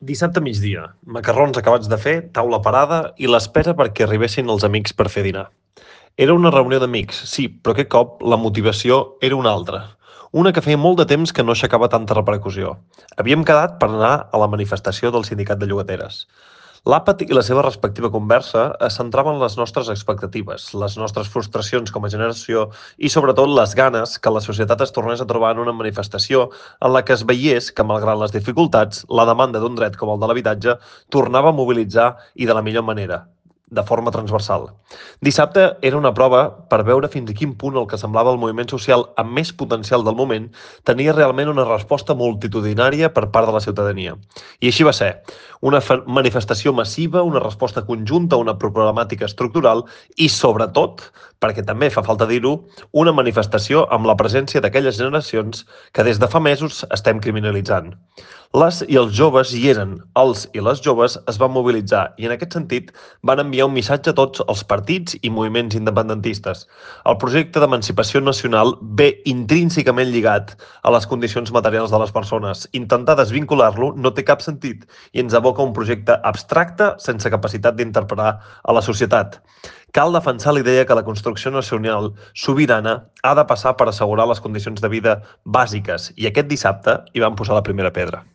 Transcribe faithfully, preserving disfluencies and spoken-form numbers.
Dissabte a migdia, macarrons acabats de fer, taula parada i l'espera perquè arribessin els amics per fer dinar. Era una reunió d'amics, sí, però aquest cop la motivació era una altra. Una que feia molt de temps que no aixecava tanta repercussió. Havíem quedat per anar a la manifestació del sindicat de llogateres. L'àpat i la seva respectiva conversa es centraven en les nostres expectatives, les nostres frustracions com a generació i, sobretot, les ganes que la societat es tornés a trobar en una manifestació en la que es veiés que, malgrat les dificultats, la demanda d'un dret com el de l'habitatge tornava a mobilitzar i de la millor manera, de forma transversal. Dissabte era una prova per veure fins a quin punt el que semblava el moviment social amb més potencial del moment tenia realment una resposta multitudinària per part de la ciutadania. I així va ser. Una manifestació massiva, una resposta conjunta a una problemàtica estructural i, sobretot, perquè també fa falta dir-ho, una manifestació amb la presència d'aquelles generacions que des de fa mesos estem criminalitzant. Les i els joves hi eren, els i les joves es van mobilitzar i en aquest sentit van enviar un missatge a tots els partits i moviments independentistes. El projecte d'emancipació nacional ve intrínsecament lligat a les condicions materials de les persones. Intentar desvincular-lo no té cap sentit i ens aboca un projecte abstracte sense capacitat d'interpretar a la societat. Cal defensar la idea que la construcció nacional sobirana ha de passar per assegurar les condicions de vida bàsiques i aquest dissabte hi van posar la primera pedra.